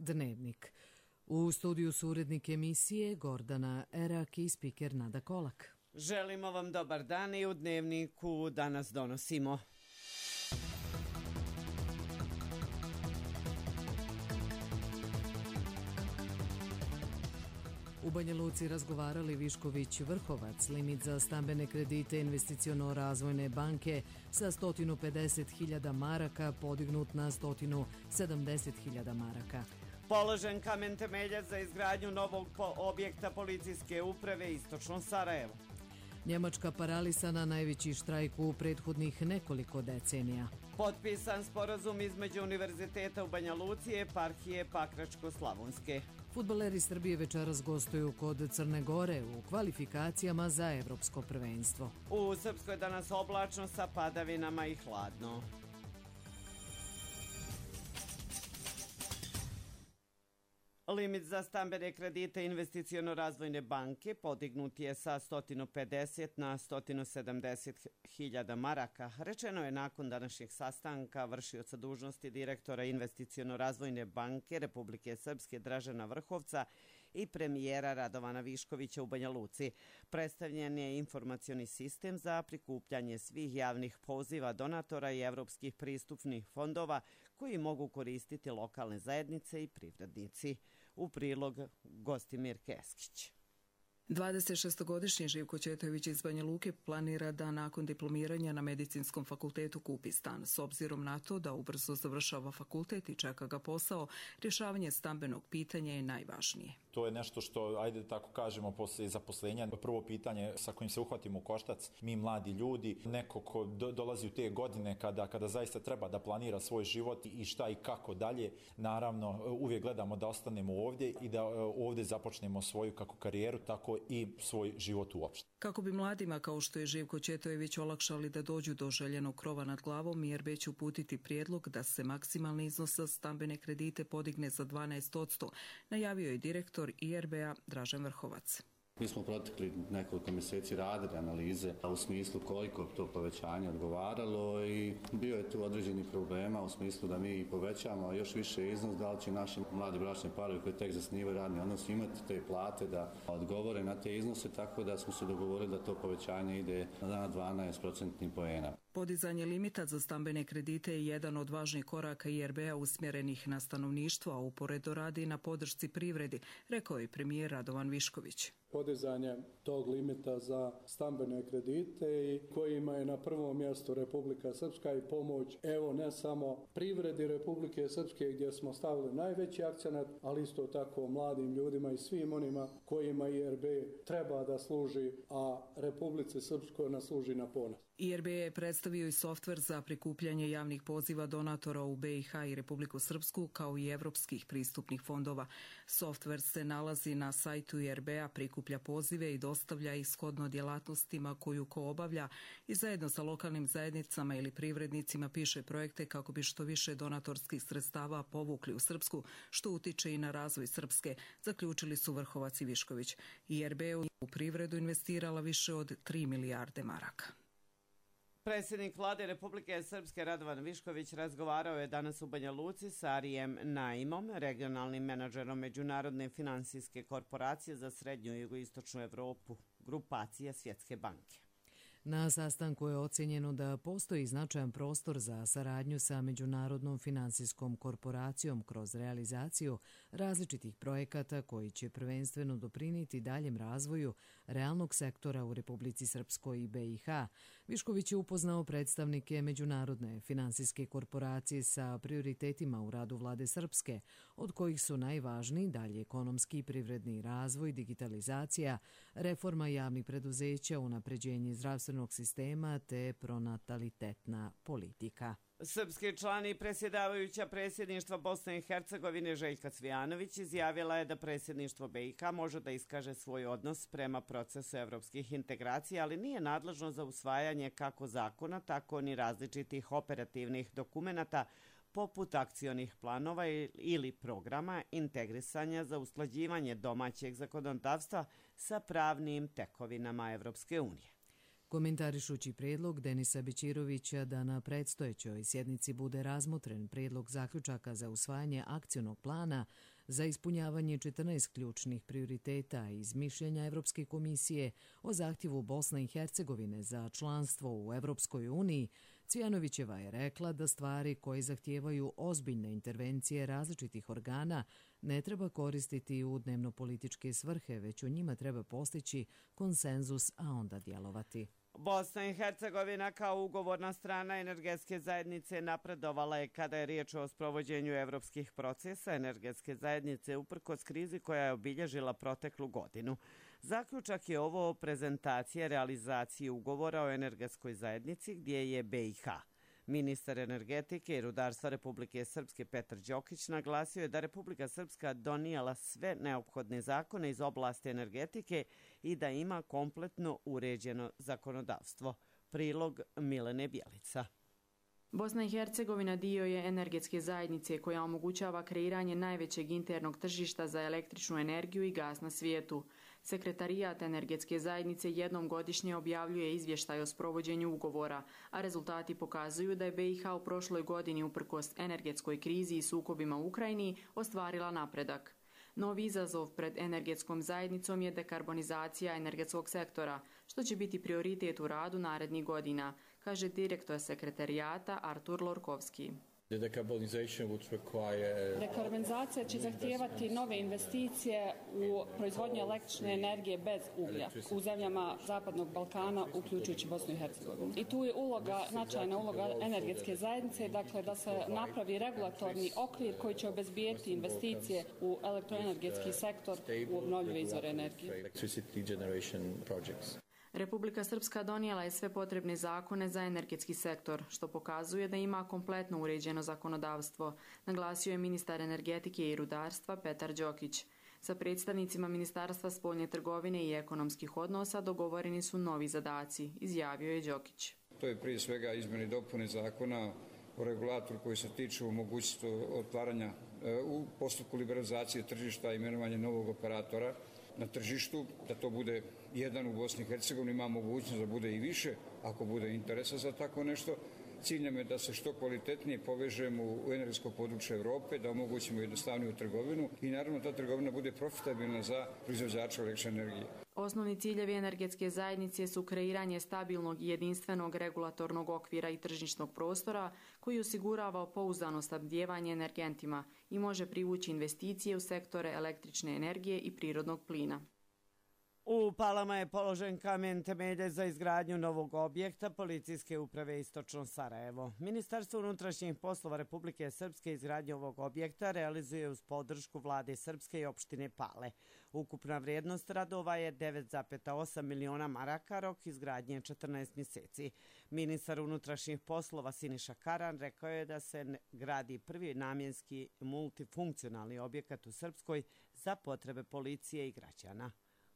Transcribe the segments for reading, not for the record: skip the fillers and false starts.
Dnevnik. U studiju su urednik emisije Gordana Erak i spiker Nada Kolak. Želimo vam dobar dan i u Dnevniku danas donosimo. U Banja Luci razgovarali Višković-Vrhovac, limit za stambene kredite investiciono-razvojne banke sa 150.000 maraka podignut na 170.000 maraka. Položen kamen temeljac za izgradnju novog objekta policijske uprave Istočno Sarajevo. Njemačka paralisana, najveći štrajk u prethodnih nekoliko decenija. Potpisan sporazum između Univerziteta u Banja Luci i Eparhije Pakračko-Slavonske. Fudbaleri Srbije večeras gostuju kod Crne Gore u kvalifikacijama za evropsko prvenstvo. U Srpskoj danas oblačno sa padavinama i hladno. Limit za stambene kredite investiciono-razvojne banke podignut je sa 150 na 170.000 maraka. Rečeno je nakon današnjeg sastanka vršioca dužnosti direktora investiciono-razvojne banke Republike Srpske Dražena Vrhovca i premijera Radovana Viškovića u Banja Luci. Predstavljen je informacioni sistem za prikupljanje svih javnih poziva donatora i evropskih pristupnih fondova koji mogu koristiti lokalne zajednice i privrednici. U prilog Gostimir Keskić. 26-godišnji Živko Ćetojević iz Banja Luke planira da nakon diplomiranja na Medicinskom fakultetu kupi stan. S obzirom na to da ubrzo završava fakultet i čeka ga posao, rješavanje stambenog pitanja je najvažnije. To je nešto što, ajde tako kažemo, posle zaposlenja. Prvo pitanje sa kojim se uhvatimo u koštac, mi mladi ljudi, neko ko dolazi u te godine kada zaista treba da planira svoj život i šta i kako dalje, naravno uvijek gledamo da ostanemo ovdje i da ovdje započnemo svoju kako karijeru, tako i svoj život uopšte. Kako bi mladima kao što je Živko Ćetojević olakšali da dođu do željenog krova nad glavom, IRB će uputiti prijedlog da se maksimalni iznos za stambene kredite podigne za 12%, najavio je direktor IRB-a Dražen Vrhovac. Mi smo protekli nekoliko mjeseci radili analize u smislu koliko to povećanje odgovaralo i bio je tu određeni problema u smislu da mi povećamo još više iznos, da li će naši mladi bračni parovi koji tek zasnivaju radni odnos imati te plate da odgovore na te iznose, tako da smo se dogovorili da to povećanje ide na 12% poena. Podizanje limita za stambene kredite je jedan od važnih koraka IRB-a usmjerenih na stanovništvo, a uporedo radi na podršci privredi, rekao je premijer Radovan Višković. Podizanje tog limita za stambene kredite i kojima je na prvom mjestu Republika Srpska i pomoć, evo ne samo privredi Republike Srpske gdje smo stavili najveći akcenat, ali isto tako mladim ljudima i svim onima kojima IRB treba da služi, a Republici Srpskoj nas služi na ponos. IRB je predstavio i softver za prikupljanje javnih poziva donatora u BiH i Republiku Srpsku kao i evropskih pristupnih fondova. Softver se nalazi na sajtu IRB-a, prikuplja pozive i dostavlja ih shodno djelatnostima koju ko obavlja i zajedno sa lokalnim zajednicama ili privrednicima piše projekte kako bi što više donatorskih sredstava povukli u Srpsku, što utiče i na razvoj Srpske, zaključili su Vrhovac i Višković. IRB u privredu investirala više od 3 milijarde maraka. Predsjednik vlade Republike Srpske Radovan Višković razgovarao je danas u Banja Luci sa Arijem Naimom, regionalnim menadžerom Međunarodne finansijske korporacije za srednju i jugoistočnu Evropu, grupacija Svjetske banke. Na sastanku je ocjenjeno da postoji značajan prostor za saradnju sa Međunarodnom finansijskom korporacijom kroz realizaciju različitih projekata koji će prvenstveno doprinijeti daljem razvoju realnog sektora u Republici Srpskoj i BiH. Višković je upoznao predstavnike Međunarodne finansijske korporacije sa prioritetima u radu vlade Srpske, od kojih su najvažniji dalje ekonomski i privredni razvoj, digitalizacija, reforma javnih preduzeća, unapređenje zdravstvenog sistema te pronatalitetna politika. Srpski član i predsjedavajuća predsjedništva Bosne i Hercegovine Željka Cvijanović izjavila je da predsjedništvo BiH može da iskaže svoj odnos prema procesu evropskih integracija, ali nije nadležno za usvajanje kako zakona, tako ni različitih operativnih dokumenata poput akcionih planova ili programa integrisanja za usklađivanje domaćeg zakonodavstva sa pravnim tekovinama Evropske unije. Komentarišući prijedlog Denisa Bećirovića da na predstojećoj sjednici bude razmotren prijedlog zaključaka za usvajanje akcionog plana, za ispunjavanje 14 ključnih prioriteta iz mišljenja Evropske komisije o zahtjevu Bosne i Hercegovine za članstvo u Evropskoj uniji, Cvjanovićeva je rekla da stvari koje zahtijevaju ozbiljne intervencije različitih organa ne treba koristiti u dnevnopolitičke svrhe, već o njima treba postići konsenzus, a onda djelovati. Bosna i Hercegovina kao ugovorna strana energetske zajednice napredovala je kada je riječ o sprovođenju evropskih procesa energetske zajednice uprkos krizi koja je obilježila proteklu godinu. Zaključak je ovo prezentacije realizacije ugovora o energetskoj zajednici gdje je BiH. Ministar energetike i rudarstva Republike Srpske Petar Đokić naglasio je da Republika Srpska donijela sve neophodne zakone iz oblasti energetike i da ima kompletno uređeno zakonodavstvo. Prilog Milene Bjelica. Bosna i Hercegovina dio je energetske zajednice koja omogućava kreiranje najvećeg internog tržišta za električnu energiju i gas na svijetu. Sekretarijat energetske zajednice jednom godišnje objavljuje izvještaj o sprovođenju ugovora, a rezultati pokazuju da je BiH u prošloj godini uprkos energetskoj krizi i sukobima u Ukrajini ostvarila napredak. Novi izazov pred energetskom zajednicom je dekarbonizacija energetskog sektora, što će biti prioritet u radu narednih godina, kaže direktor sekretarijata Artur Lorkovski. Dekarbonizacija će zahtijevati nove investicije u proizvodnju električne energije bez uglja u zemljama Zapadnog Balkana, uključujući Bosnu i Hercegovinu. I tu je značajna uloga energetske zajednice, dakle da se napravi regulatorni okvir koji će obezbijeti investicije u elektroenergetski sektor u obnovljive izvore energije. Republika Srpska donijela je sve potrebne zakone za energetski sektor, što pokazuje da ima kompletno uređeno zakonodavstvo, naglasio je ministar energetike i rudarstva Petar Đokić. Sa predstavnicima Ministarstva spoljne trgovine i ekonomskih odnosa dogovoreni su novi zadaci, izjavio je Đokić. To je prije svega izmjene i dopune zakona o regulatoru koji se tiču mogućnosti otvaranja u postupku liberalizacije tržišta i imenovanja novog operatora na tržištu, da to bude jedan u Bosni i Hercegovini, ima mogućnost da bude i više ako bude interesa za tako nešto. Cilj nam je da se što kvalitetnije povežemo u energetsko područje Europe, da omogućimo jednostavniju trgovinu i naravno ta trgovina bude profitabilna za proizvođača električne energije. Osnovni ciljevi energetske zajednice su kreiranje stabilnog i jedinstvenog regulatornog okvira i tržišnog prostora koji osigurava pouzdano snabdijevanje energentima i može privući investicije u sektore električne energije i prirodnog plina. U Palama je položen kamen temelja za izgradnju novog objekta Policijske uprave Istočno Sarajevo. Ministarstvo unutrašnjih poslova Republike Srpske izgradnju ovog objekta realizuje uz podršku vlade Srpske i opštine Pale. Ukupna vrijednost radova je 9,8 miliona maraka, rok izgradnje 14 mjeseci. Ministar unutrašnjih poslova Siniša Karan rekao je da se gradi prvi namjenski multifunkcionalni objekat u Srpskoj za potrebe policije i građana.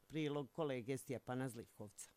Prilog kolege Stjepana Zlivkovca.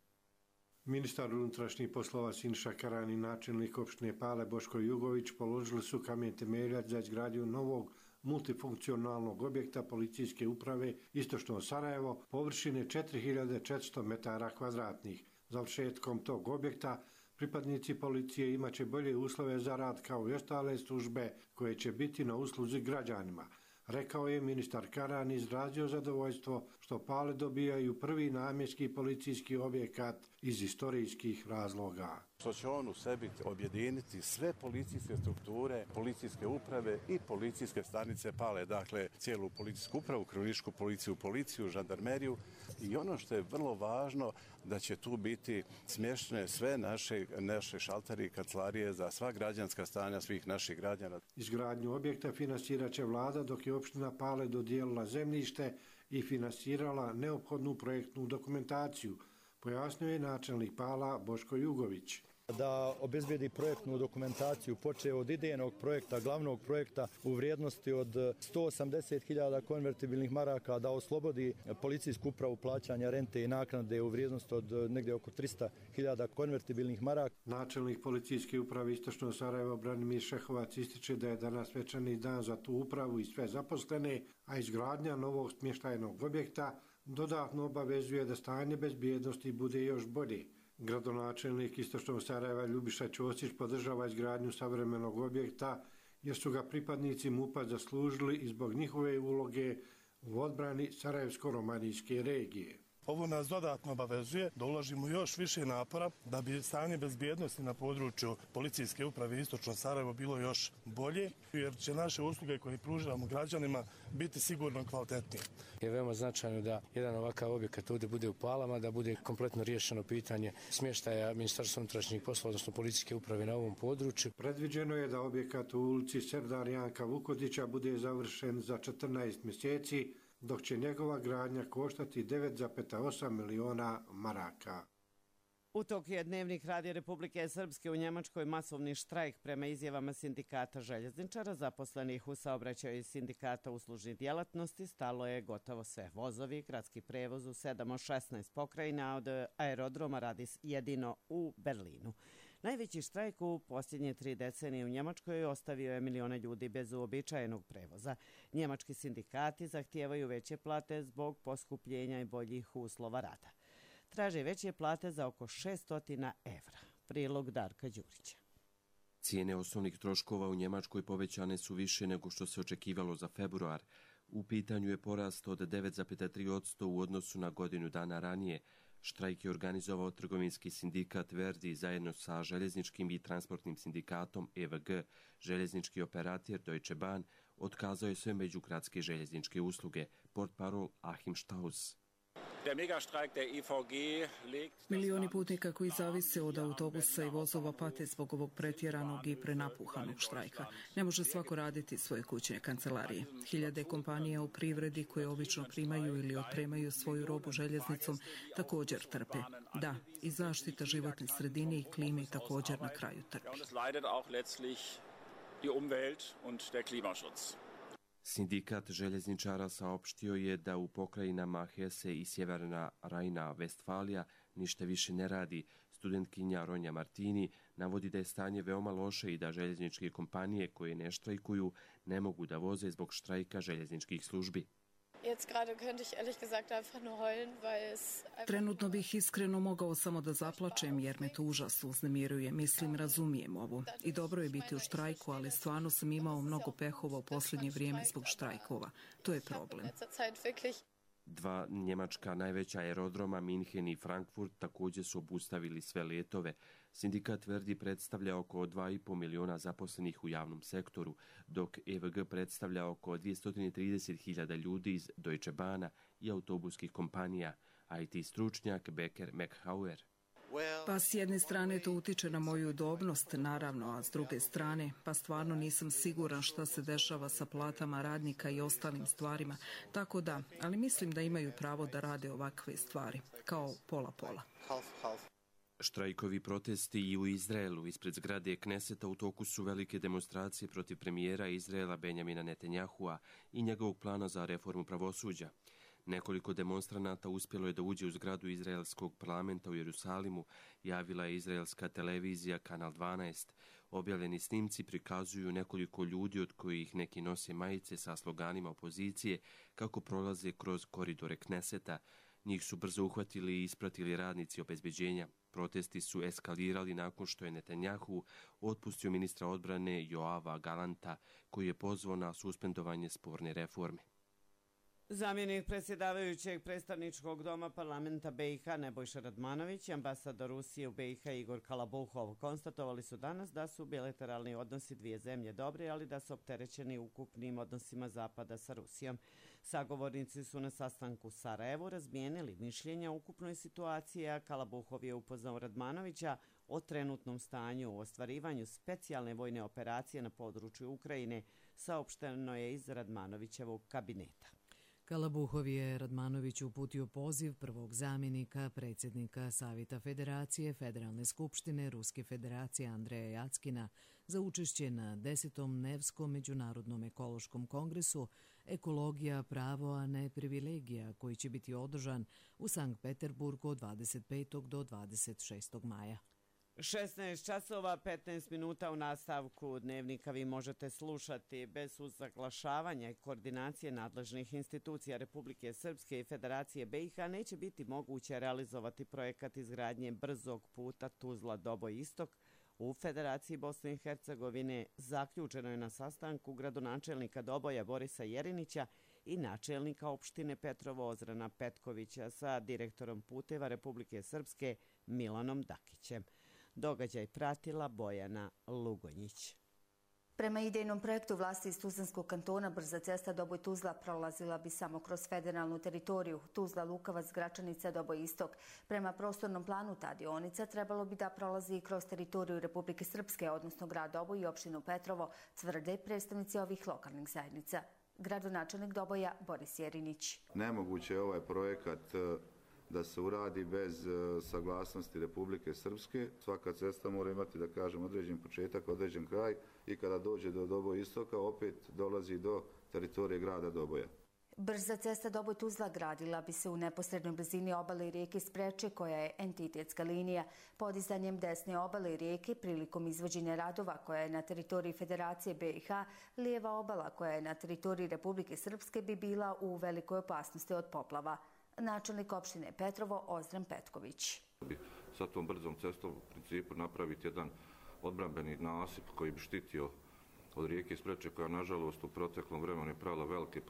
Ministar unutrašnjih poslova Siniša Karan i načelnik opštine Pale Boško Jugović položili su kamen temeljac za izgradnju novog multifunkcionalnog objekta Policijske uprave Istočno Sarajevo površine 4400 metara kvadratnih. Završetkom tog objekta pripadnici policije imaće bolje uslove za rad kao i ostale službe koje će biti na usluzi građanima. Rekao je ministar Karan, izrazio zadovoljstvo što Pale dobijaju prvi namjenski policijski objekat iz istorijskih razloga. Što će on u sebi objediniti sve policijske strukture, policijske uprave i policijske stanice Pale, dakle cijelu policijsku upravu, kriminalističku policiju, žandarmeriju i ono što je vrlo važno da će tu biti smještene sve naše šalteri i kancelarije za sva građanska stanja svih naših građana. Izgradnju objekta financirat će vlada dok je opština Pale dodijelila zemljište i finansirala neophodnu projektnu dokumentaciju, pojasnio je načelnik Pala Boško Jugović. Da obezbedi projektnu dokumentaciju počeo od idejnog projekta, glavnog projekta u vrijednosti od 180.000 konvertibilnih maraka, da oslobodi policijsku upravu plaćanja rente i naknade u vrijednosti od negdje oko 300.000 konvertibilnih maraka. Načelnik policijske uprave Istočno Sarajevo Branimir Šehovac ističe da je danas svečani dan za tu upravu i sve zaposlene, a izgradnja novog smještajnog objekta dodatno obavezuje da stanje bezbjednosti bude još bolje. Gradonačelnik Istočnog Sarajeva Ljubiša Ćosić podržava izgradnju savremenog objekta jer su ga pripadnici MUP-a zaslužili i zbog njihove uloge u odbrani Sarajevsko-romanijske regije. Ovo nas dodatno obavezuje da uložimo još više napora da bi stanje bezbjednosti na području policijske uprave Istočno Sarajevo bilo još bolje, jer će naše usluge koje pružamo građanima biti sigurno kvalitetnije. Je veoma značajno da jedan ovakav objekat ovdje bude u Palama, da bude kompletno riješeno pitanje smještaja Ministarstva unutrašnjih poslova, odnosno policijske uprave na ovom području. Predviđeno je da objekat u ulici Serdar Janka Vukodića bude završen za 14 mjeseci, dok će njegova gradnja koštati 9,8 miliona maraka. U toku je Dnevnik Radija Republike Srpske u Njemačkoj masovni štrajk prema izjavama sindikata željezničara zaposlenih u saobraćaju i sindikata uslužnih djelatnosti. Stalo je gotovo sve. Vozovi, gradski prevoz u 7 od 16 pokrajina, od aerodroma radi jedino u Berlinu. Najveći štrajk u posljednje 3 decenije u Njemačkoj ostavio je milione ljudi bez uobičajenog prevoza. Njemački sindikati zahtijevaju veće plate zbog poskupljenja i boljih uslova rada. Traže veće plate za oko 600 evra. Prilog Darka Đurića. Cijene osnovnih troškova u Njemačkoj povećane su više nego što se očekivalo za februar. U pitanju je porast od 9,3% u odnosu na godinu dana ranije. Štrajk je organizovao trgovinski sindikat Verdi zajedno sa željezničkim i transportnim sindikatom EVG. Željeznički operator Deutsche Bahn otkazao je sve međugradske željezničke usluge. Portparol Achim Staus. Milioni putnika koji zavise od autobusa i vozova pate zbog ovog pretjeranog i prenapuhanog štrajka. Ne može svako raditi svoje kućne kancelarije. Hiljade kompanija u privredi koje obično primaju ili otpremaju svoju robu željeznicom također trpe. Da, i zaštita životne sredine i klime također na kraju trpi. Sindikat željezničara saopštio je da u pokrajinama Hesse i Sjeverna Rajna-Vestfalija ništa više ne radi. Studentkinja Ronja Martini navodi da je stanje veoma loše i da željezničke kompanije koje ne štrajkuju ne mogu da voze zbog štrajka željezničkih službi. Trenutno bih iskreno mogao samo da zaplačem jer me to užasno uznemiruje. Mislim, razumijem ovo. I dobro je biti u štrajku, ali stvarno sam imao mnogo pehova u posljednje vrijeme zbog štrajkova. To je problem. 2 njemačka najveća aerodroma, Minhen i Frankfurt, također su obustavili sve letove. Sindikat Verdi predstavlja oko 2,5 miliona zaposlenih u javnom sektoru, dok EVG predstavlja oko 230.000 ljudi iz Deutsche Bahna i autobuskih kompanija, IT stručnjak Becker McHauer. Pa s jedne strane to utiče na moju udobnost, naravno, a s druge strane pa stvarno nisam siguran šta se dešava sa platama radnika i ostalim stvarima. Tako da, ali mislim da imaju pravo da rade ovakve stvari, kao pola-pola. Štrajkovi protesti i u Izraelu ispred zgrade Kneseta u toku su velike demonstracije protiv premijera Izraela Benjamina Netanjahua i njegovog plana za reformu pravosuđa. Nekoliko demonstranata uspjelo je da uđe u zgradu izraelskog parlamenta u Jerusalimu, javila je izraelska televizija Kanal 12. Objavljeni snimci prikazuju nekoliko ljudi od kojih neki nose majice sa sloganima opozicije kako prolaze kroz koridore Kneseta. Njih su brzo uhvatili i ispratili radnici obezbeđenja. Protesti su eskalirali nakon što je Netanjahu otpustio ministra odbrane Joava Galanta, koji je pozvao na suspendovanje sporne reforme. Zamjenik predsjedavajućeg predstavničkog doma parlamenta BiH Nebojša Radmanović i ambasador Rusije u BiH Igor Kalabuhov konstatovali su danas da su bilateralni odnosi dvije zemlje dobri, ali da su opterećeni ukupnim odnosima Zapada sa Rusijom. Sagovornici su na sastanku u Sarajevu razmijenili mišljenja o ukupnoj situaciji, a Kalabuhov je upoznao Radmanovića o trenutnom stanju u ostvarivanju specijalne vojne operacije na području Ukrajine, saopšteno je iz Radmanovićevog kabineta. Kalabuhov je Radmanoviću uputio poziv prvog zamjenika predsjednika Savjeta Federacije Federalne skupštine Ruske federacije Andreja Jackina za učešće na 10. Nevskom međunarodnom ekološkom kongresu Ekologija, pravo, a ne privilegija, koji će biti održan u Sankt Peterburgu od 25. do 26. maja. 16 časova 15 minuta u nastavku Dnevnika vi možete slušati. Bez usaglašavanja i koordinacije nadležnih institucija Republike Srpske i Federacije BiH neće biti moguće realizovati projekat izgradnje brzog puta Tuzla-Doboj-Istok u Federaciji Bosne i Hercegovine zaključeno je na sastanku gradonačelnika Doboja Borisa Jerinića i načelnika opštine Petrovo Ozrana Petkovića sa direktorom puteva Republike Srpske Milanom Dakićem. Događaj pratila Bojana Lugonjić. Prema idejnom projektu vlasti iz Tuzlanskog kantona brza cesta Doboj-Tuzla prolazila bi samo kroz federalnu teritoriju Tuzla-Lukavac-Gračanica Doboj-Istok. Prema prostornom planu ta dionica trebalo bi da prolazi i kroz teritoriju Republike Srpske, odnosno grad Doboj i opštinu Petrovo, tvrde predstavnici ovih lokalnih zajednica. Gradonačelnik Doboja Boris Jerinić. Nemoguće je ovaj projekat da se uradi bez saglasnosti Republike Srpske. Svaka cesta mora imati, da kažem, određen početak, određen kraj i kada dođe do Doboj istoka opet dolazi do teritorije grada Doboja. Brza cesta Doboj-Tuzla gradila bi se u neposrednoj blizini obale rijeke Spreče, koja je entitetska linija. Podizanjem desne obale rijeke prilikom izvođenja radova koja je na teritoriji Federacije BiH, lijeva obala koja je na teritoriji Republike Srpske bi bila u velikoj opasnosti od poplava. Načelnik opštine Petrovo Ozran Petković. Sa tom brzom cestom u principu napraviti jedan odbrambeni nasip koji bi štitio od rijeke Spreče, koja nažalost u proteklom vremenu je pravila velike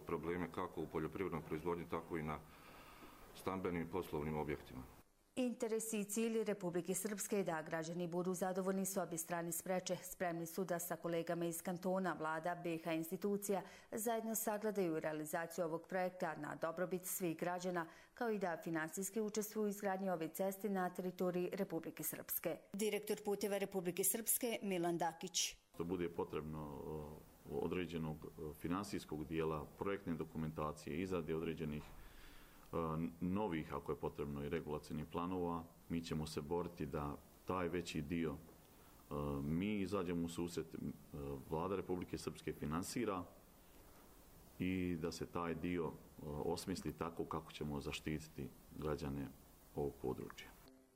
probleme kako u poljoprivrednoj proizvodnji, tako i na stambenim i poslovnim objektima. Interes i cilj Republike Srpske je da građani budu zadovoljni s obje strane Spreče. Spremni su da sa kolegama iz kantona, vlada, BiH institucija zajedno sagledaju realizaciju ovog projekta na dobrobit svih građana, kao i da finansijski učestvuju u izgradnji ove ceste na teritoriji Republike Srpske. Direktor puteva Republike Srpske Milan Dakić. To bude potrebno određenog finansijskog dijela, projektne dokumentacije, izrade određenih novih, ako je potrebno, i regulacijnih planova. Mi ćemo se boriti da taj veći dio mi izađemo u susret, vlada Republike Srpske finansira i da se taj dio osmisli tako kako ćemo zaštititi građane ovog područja.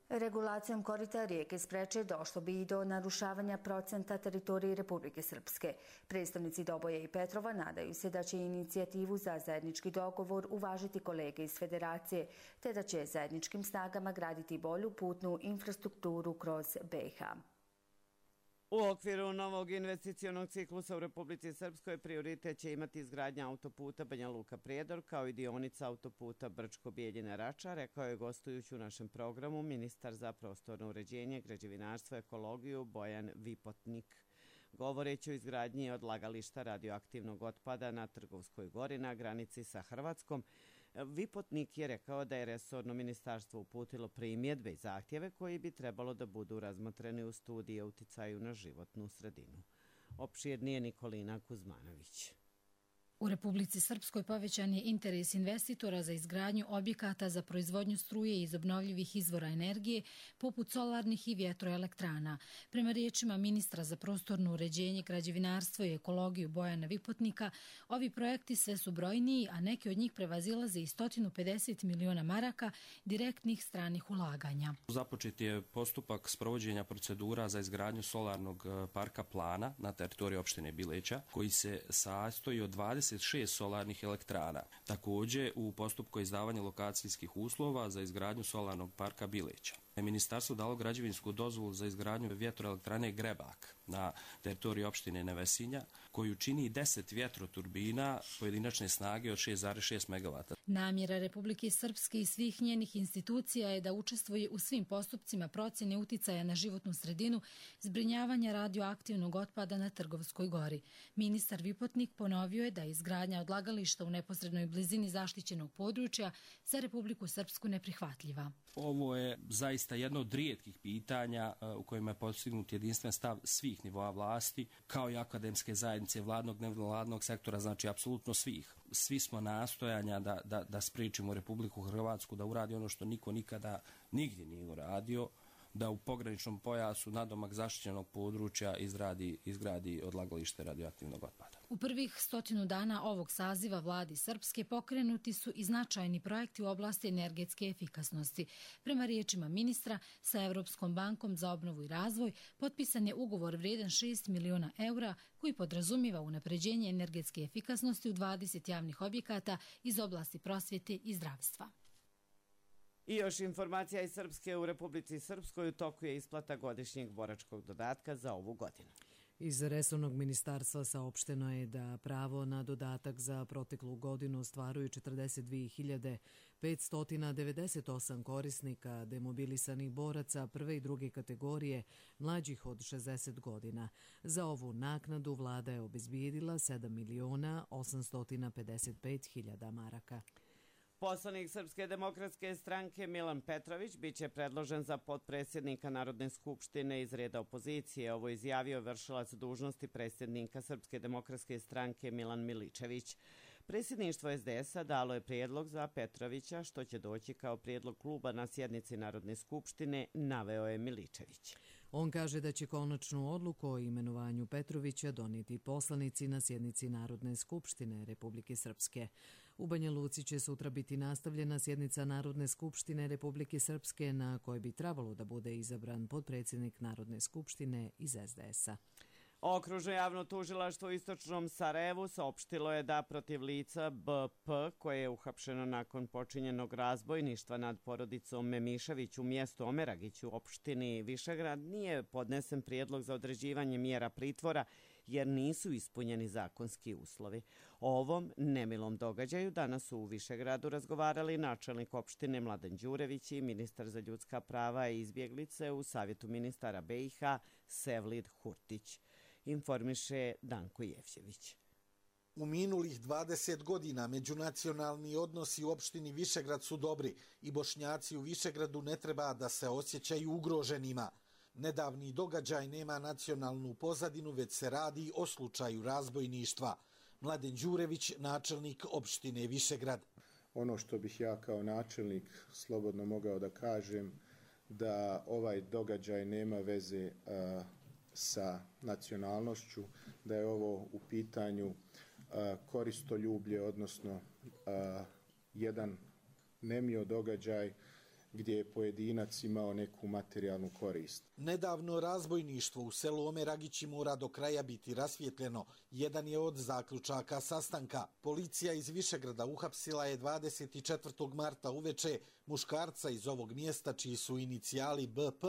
Regulacijom korita rijeke Spreče došlo bi i do narušavanja procenta teritorije Republike Srpske. Predstavnici Doboja i Petrova nadaju se da će inicijativu za zajednički dogovor uvažiti kolege iz Federacije, te da će zajedničkim snagama graditi bolju putnu infrastrukturu kroz BiH. U okviru novog investicionog ciklusa u Republici Srpskoj prioritet će imati izgradnja autoputa Banja Luka-Prijedor kao i dionica autoputa Brčko-Bijeljina-Rača, rekao je gostujući u našem programu ministar za prostorno uređenje, građevinarstvo i ekologiju Bojan Vipotnik. Govoreći o izgradnji odlagališta radioaktivnog otpada na Trgovskoj gori na granici sa Hrvatskom, Vipotnik je rekao da je resorno ministarstvo uputilo primjedbe i zahtjeve koji bi trebalo da budu razmotreni u studiji o uticaju na životnu sredinu. Opširnije Nikolina Kuzmanović. U Republici Srpskoj povećan je interes investitora za izgradnju objekata za proizvodnju struje iz obnovljivih izvora energije, poput solarnih i vjetroelektrana. Prema riječima ministra za prostorno uređenje, građevinarstvo i ekologiju Bojana Vipotnika, ovi projekti sve su brojniji, a neki od njih prevazilaze i 150 miliona maraka direktnih stranih ulaganja. Započet je postupak sprovođenja procedura za izgradnju solarnog parka Plana na teritoriji opštine Bileća, koji se sastoji od 26 solarnih elektrana. Također u postupku izdavanja lokacijskih uslova za izgradnju solarnog parka Bileća. Ministarstvo dalo građevinsku dozvolu za izgradnju vjetroelektrane Grebak na teritoriji opštine Nevesinja, koju čini 10 vjetroturbina pojedinačne snage od 6,6 MW. Namjera Republike Srpske i svih njenih institucija je da učestvuje u svim postupcima procjene uticaja na životnu sredinu, zbrinjavanja radioaktivnog otpada na Trgovskoj gori. Ministar Vipotnik ponovio je da je izgradnja odlagališta u neposrednoj blizini zaštićenog područja za Republiku Srpsku neprihvatljiva. Ovo je zaista jedno od rijetkih pitanja u kojima je postignut jedinstven stav svih nivoa vlasti, kao i akademske zajednice, vladnog, nevladnog sektora, znači apsolutno svih. Svi smo nastojanja da spriječimo Republiku Hrvatsku da uradi ono što niko nikada nigdje nije uradio, da u pograničnom pojasu nadomak zaštićenog područja izgradi odlagalište radioaktivnog otpada. U prvih 100 dana ovog saziva vladi Srpske pokrenuti su i značajni projekti u oblasti energetske efikasnosti. Prema riječima ministra, sa Evropskom bankom za obnovu i razvoj potpisan je ugovor vrijedan 6 miliona eura koji podrazumiva unapređenje energetske efikasnosti u 20 javnih objekata iz oblasti prosvjete i zdravstva. I još informacija iz Srpske. U Republici Srpskoj u toku je isplata godišnjeg boračkog dodatka za ovu godinu. Iz resornog ministarstva saopšteno je da pravo na dodatak za proteklu godinu ostvaruju 42.598 korisnika demobilisanih boraca prve i druge kategorije mlađih od 60 godina. Za ovu naknadu vlada je obezbijedila 7.855.000 maraka. Poslanik Srpske demokratske stranke Milan Petrović biće predložen za potpredsjednika Narodne skupštine iz reda opozicije. Ovo izjavio vršilac dužnosti predsjednika Srpske demokratske stranke Milan Miličević. Predsjedništvo SDS-a dalo je prijedlog za Petrovića, što će doći kao prijedlog kluba na sjednici Narodne skupštine, naveo je Miličević. On kaže da će konačnu odluku o imenovanju Petrovića donijeti poslanici na sjednici Narodne skupštine Republike Srpske. U Banja Luci će sutra biti nastavljena sjednica Narodne skupštine Republike Srpske na kojoj bi trebalo da bude izabran potpredsjednik Narodne skupštine iz SDS-a. Okružno javno tužilaštvo u istočnom Sarajevu saopštilo je da protiv lica BP, koje je uhapšeno nakon počinjenog razbojništva nad porodicom Memišević u mjestu Omeragić u opštini Višegrad, nije podnesen prijedlog za određivanje mjera pritvora jer nisu ispunjeni zakonski uslovi. O ovom nemilom događaju danas su u Višegradu razgovarali načelnik opštine Mladen Đurević i ministar za ljudska prava i izbjeglice u Savjetu ministara BiH Sevlid Hurtić. Informiše Danko Jevđević. U minulih 20 godina međunacionalni odnosi u opštini Višegrad su dobri i Bošnjaci u Višegradu ne treba da se osjećaju ugroženima. Nedavni događaj nema nacionalnu pozadinu, već se radi o slučaju razbojništva. Mladen Đurević, načelnik opštine Višegrad. Ono što bih ja kao načelnik slobodno mogao da kažem, da ovaj događaj nema veze sa nacionalnošću, da je ovo u pitanju koristoljublje, odnosno jedan nemio događaj gdje je pojedinac imao neku materijalnu korist. Nedavno razbojništvo u selu Omeragići mora do kraja biti rasvjetljeno. Jedan je od zaključaka sastanka. Policija iz Višegrada uhapsila je 24. marta uveče muškarca iz ovog mjesta čiji su inicijali BP,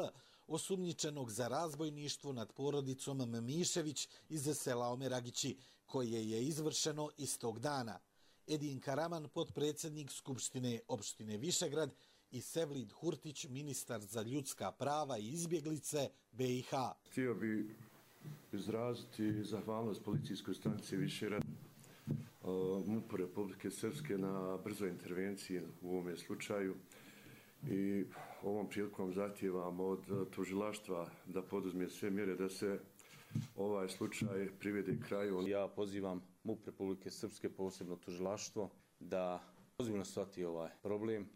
osumnjičenog za razbojništvo nad porodicom Memišević iz sela Omeragići, koje je izvršeno istog dana. Edin Karaman, potpredsjednik Skupštine opštine Višegrad, i Sevlid Hurtić, ministar za ljudska prava i izbjeglice BiH. Htio bi izraziti zahvalnost policijskoj stanici Višegrad, MUP-u Republike Srpske na brzoj intervenciji u ovome slučaju i ovom prilikom zahtijevam od tužilaštva da poduzme sve mjere da se ovaj slučaj privede kraju. Ja pozivam MUP Republike Srpske, posebno tužilaštvo, da ozbiljno shvati ovaj problem,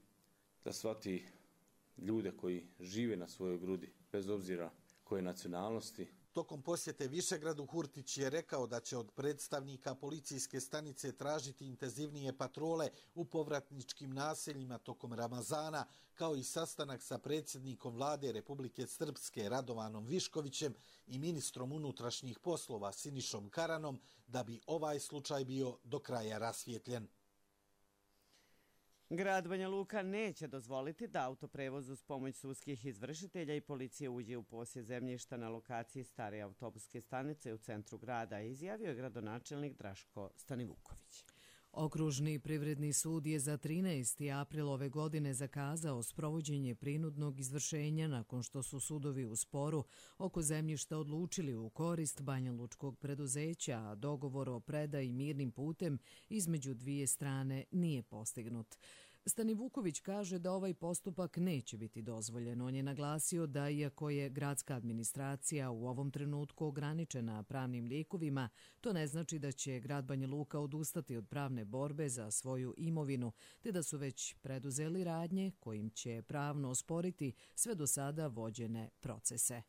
da shvati ljude koji žive na svojoj grudi, bez obzira koje nacionalnosti. Tokom posjete Višegradu Hurtić je rekao da će od predstavnika policijske stanice tražiti intenzivnije patrole u povratničkim naseljima tokom Ramazana, kao i sastanak sa predsjednikom vlade Republike Srpske Radovanom Viškovićem i ministrom unutrašnjih poslova Sinišom Karanom, da bi ovaj slučaj bio do kraja rasvijetljen. Grad Banja Luka neće dozvoliti da autoprevoz uz pomoć sudskih izvršitelja i policije uđe u posjed zemljišta na lokaciji stare autobuske stanice u centru grada, izjavio je gradonačelnik Draško Stanivuković. Okružni privredni sud je za 13. april ove godine zakazao sprovođenje prinudnog izvršenja nakon što su sudovi u sporu oko zemljišta odlučili u korist banjalučkog preduzeća, a dogovor o predaji mirnim putem između dvije strane nije postignut. Stanivuković kaže da ovaj postupak neće biti dozvoljen. On je naglasio da iako je gradska administracija u ovom trenutku ograničena pravnim lijekovima, to ne znači da će grad Banja Luka odustati od pravne borbe za svoju imovinu, te da su već preduzeli radnje kojim će pravno osporiti sve do sada vođene procese.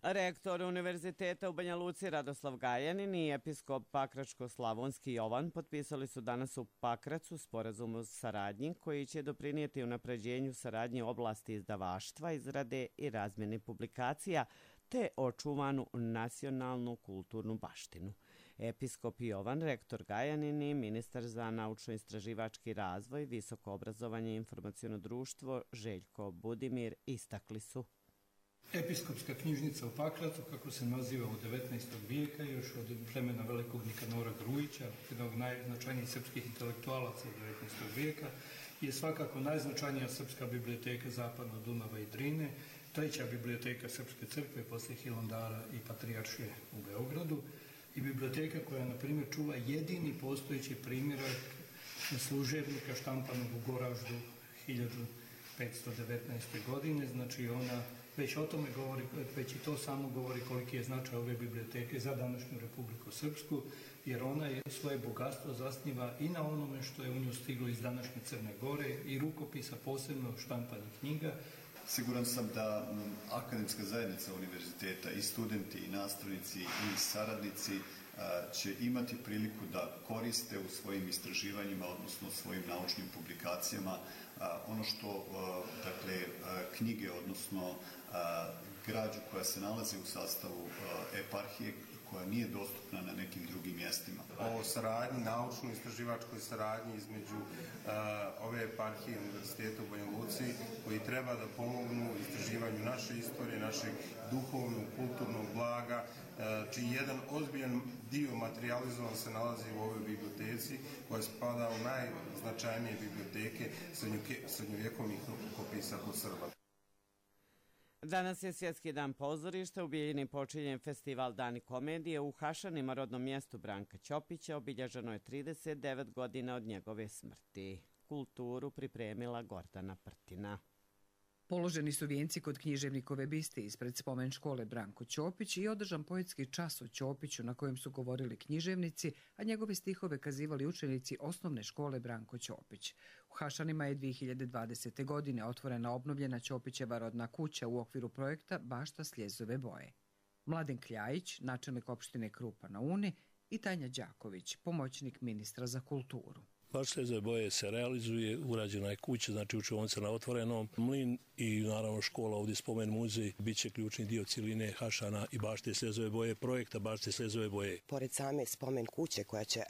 Rektor Univerziteta u Banja Luci Radoslav Gajanin i episkop Pakračko-Slavonski Jovan potpisali su danas u Pakracu sporazum o saradnji koji će doprinijeti unapređenju saradnje u oblasti izdavaštva, izrade i razmjene publikacija te očuvanu nacionalnu kulturnu baštinu. Episkop Jovan, rektor Gajanin i ministar za naučno-istraživački razvoj, visoko obrazovanje i informaciono društvo Željko Budimir istakli su. Episkopska knjižnica u Pakracu, kako se naziva u 19. vijeka, još od vremena velikog Nikanora Grujića, jednog najznačajnijih srpskih intelektualaca 19. vijeka, je svakako najznačajnija srpska biblioteka zapadno Dunava i Drine, treća biblioteka Srpske crkve poslije Hilandara i Patrijaršije u Beogradu i biblioteka koja, na primjer, čuva jedini postojeći primjerak služebnika štampanog u Goraždu 1519. godine, znači ona već o tome govori, već i to samo govori koliki je značaj ove biblioteke za današnju Republiku Srpsku, jer ona je svoje bogatstvo zasniva i na onome što je u nju stiglo iz današnje Crne Gore i rukopisa, posebno štampanih knjiga. Siguran sam da akademska zajednica univerziteta i studenti i nastavnici i saradnici će imati priliku da koriste u svojim istraživanjima, odnosno svojim naučnim publikacijama ono što, dakle, knjige, odnosno građu koja se nalazi u sastavu eparhije, koja nije dostupna na nekim drugim mjestima. O saradnji, naučno-istraživačkoj saradnji između ove eparhije Univerziteta u Banja Luci, koji treba da pomognu istraživanju naše istorije, našeg duhovnog, kulturnog blaga, čiji jedan ozbiljan dio materializovan se nalazi u ovoj biblioteci, koja spada u najznačajnije biblioteke srednjovjekovnih rukopisa kod Srba. Danas je Svjetski dan pozorišta. U Bijeljini počinje festival Dani komedije. U Hašanima, rodnom mjestu Branka Ćopića, obilježeno je 39 godina od njegove smrti. Kulturu pripremila Gordana Prtina. Položeni su vijenci kod književnikove biste ispred spomen škole Branko Ćopić i održan poetski čas o Ćopiću na kojem su govorili književnici, a njegove stihove kazivali učenici osnovne škole Branko Ćopić. U Hašanima je 2020. godine otvorena obnovljena Ćopićeva rodna kuća u okviru projekta Bašta Sljezove boje. Mladen Kljajić, načelnik opštine Krupa na Uni, i Tanja Đaković, pomoćnik ministra za kulturu. Bašta Sljezove boje se realizuje, urađena je kuća, znači učionica na otvorenom, mlin i naravno škola, ovdje spomen muzej, bit će ključni dio cijeline Hašana i Bašte Sljezove boje, projekta Bašte Sljezove boje. Pored same spomen kuće koja će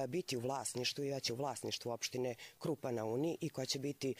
biti u vlasništvu i u vlasništvu opštine Krupa na Uni i koja će biti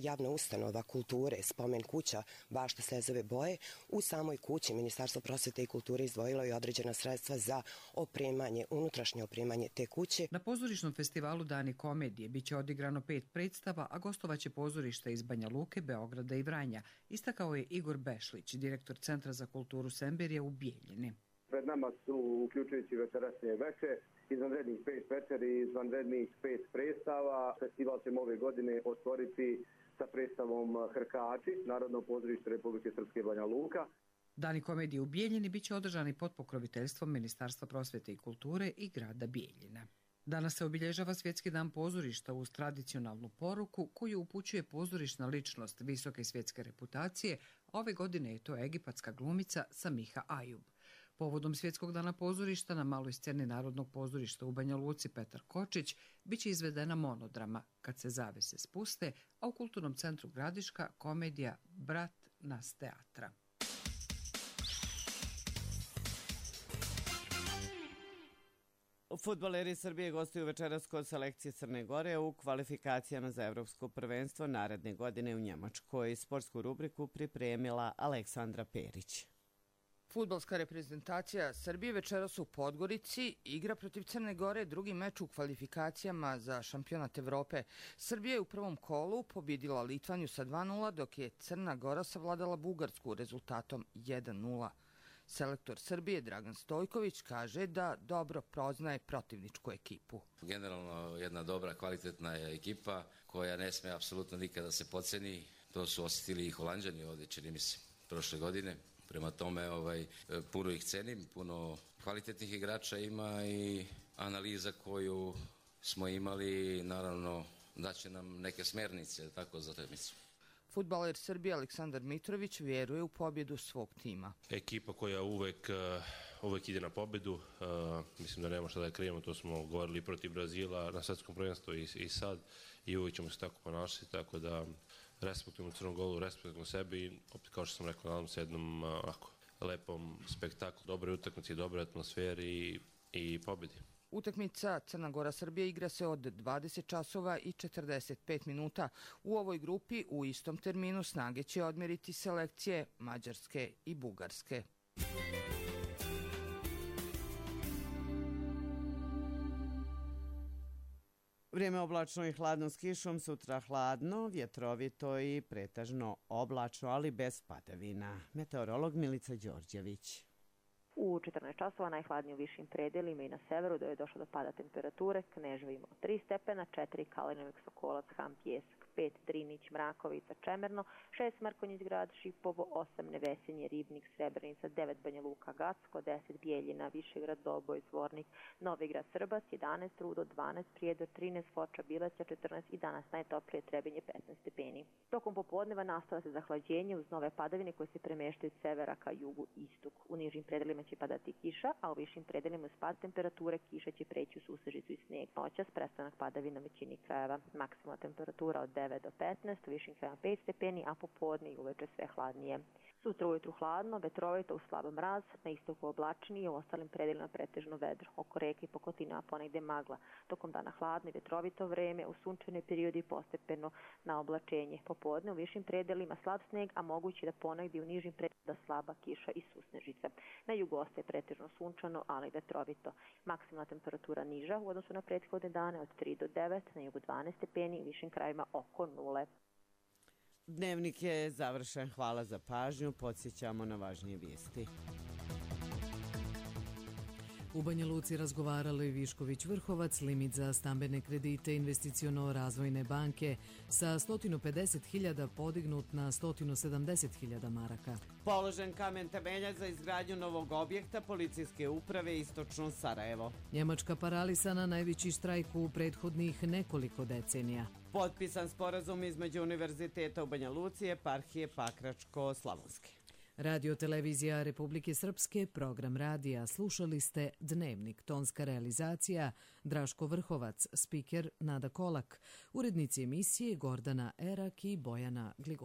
javna ustanova kulture, spomen kuća Bašta Sljezove boje, u samoj kući Ministarstvo prosvete i kulture izdvojilo je određena sredstva za opremanje, unutrašnje opremanje te kuće. Na pozorišnom festivalu Dani komedije biće odigrano 5 predstava, a gostovaće pozorišta iz Banja Luke, Beograda i Vranja, istakao je Igor Bešlić, direktor Centra za kulturu Semberija u Bijeljini. Pred nama su, uključujući večerašnje veče, izvanrednih 5 večeri i izvanrednih 5 predstava. Festival ćemo ove godine otvoriti sa predstavom Hrkači, Narodno pozorište Republike Srpske Banja Luka. Dani komedije u Bijeljini biće održani pod pokroviteljstvom Ministarstva prosvete i kulture i grada Bijeljina. Danas se obilježava Svjetski dan pozorišta uz tradicionalnu poruku koju upućuje pozorišna ličnost visoke svjetske reputacije, a ove godine je to egipatska glumica Samiha Ajub. Povodom Svjetskog dana pozorišta na maloj sceni Narodnog pozorišta u Banja Luci Petar Kočić biće izvedena monodrama Kad se zavese spuste, a u Kulturnom centru Gradiška komedija Brat nas teatra. Fudbaleri Srbije gostuju večeras kod selekcije Crne Gore u kvalifikacijama za evropsko prvenstvo naredne godine u Njemačkoj. Sportsku rubriku pripremila Aleksandra Perić. Fudbalska reprezentacija Srbije večeras u Podgorici igra protiv Crne Gore drugi meč u kvalifikacijama za šampionat Evrope. Srbija je u prvom kolu pobjedila Litvaniju sa 2:0, dok je Crna Gora savladala Bugarsku rezultatom 1:0. Selektor Srbije Dragan Stojković kaže da dobro poznaje protivničku ekipu. Generalno jedna dobra, kvalitetna ekipa koja ne smije apsolutno nikada se podceni. To su osjetili i Holanđani ovdje, čini mi se, prošle godine. Prema tome puno ih cenim, puno kvalitetnih igrača ima i analiza koju smo imali, naravno, daće nam neke smjernice tako za utakmicu. Fudbaler Srbije Aleksandar Mitrović vjeruje u pobjedu svog tima. Ekipa koja uvek ide na pobjedu, mislim da nema šta da krijemo, to smo govorili protiv Brazila na svjetskom prvenstvu i sad i uvijek ćemo se tako ponašati, tako da respektujemo Crnu Goru, respektujemo sebi i opet kao što sam rekao, nadam se jednom lepom spektaklu, dobroj utakmici, dobroj atmosferi i pobjedi. Utakmica Crna Gora-Srbija igra se od 20 časova i 45 minuta. U ovoj grupi u istom terminu snage će odmeriti selekcije Mađarske i Bugarske. Vrijeme oblačno i hladno s kišom, sutra hladno, vjetrovito i pretežno oblačno, ali bez padavina. Meteorolog Milica Đorđević. U 14 časova najhladnije u višim predelima i na severu da je došlo do pada temperature. Kneževo imao 3 stepena, 4 Kalinovik, Sokolac, Ham, Pjesak, 5 Drinić, Mrakovica, Čemerno, 6 Mrkonjić grad, Šipovo, 8 Nevesinje, Ribnik, Srebrenica, 9 Banja Luka, Gacko, 10 Bijeljina, Višegrad, Doboj, Zvornik, Novigrad, Srbac, 11 Rudo, 12 Prijedor, 13 Foča, Bileća, 14 i danas najtoplije Trebinje 15 stepeni. Tokom popodneva nastava se zahlađenje uz nove padavine koje se premeštaju od severa ka jugu istok. U nižim predelima će padati kiša, a u višim predelima spad temperature kiša će preći u susežicu i snijeg. Noćas prestanak padavina većini krajeva. Maksimalna temperatura od 9 do 15, u višim krajevima 5 stepeni, a popodne i uveče sve hladnije. Sutra ujutru hladno, vetrovito uz slab mraz, na istoku oblačnije, u ostalim predelima pretežno vedro. Oko reke i Pokotina ponegde magla. Tokom dana hladno i vetrovito vreme, u sunčane periodi postepeno na oblačenje. Popodne u višim predelima slab sneg, a moguće da ponegde u nižim predelima slaba kiša i susnežica. Na jugu ostaje pretežno sunčano, ali vetrovito. Maksimalna temperatura niža u odnosu na prethodne dane od 3 do 9, na jugu 12 stepeni, u višim krajevima oko 0. Dnevnik je završen. Hvala za pažnju. Podsjećamo na važnije vijesti. U Banja Luci razgovarali Višković-Vrhovac, limit za stambene kredite investiciono-razvojne banke sa 150.000 podignut na 170.000 maraka. Položen kamen temeljac za izgradnju novog objekta policijske uprave Istočno Sarajevo. Njemačka paralisana, najveći štrajk u prethodnih nekoliko decenija. Potpisan sporazum između Univerziteta u Banja Luci i eparhije Pakračko-Slavonske. Radio televizija Republike Srpske, program radija. Slušali ste Dnevnik, tonska realizacija Draško Vrhovac, spiker Nada Kolak, urednici emisije Gordana Erak i Bojana Gligor.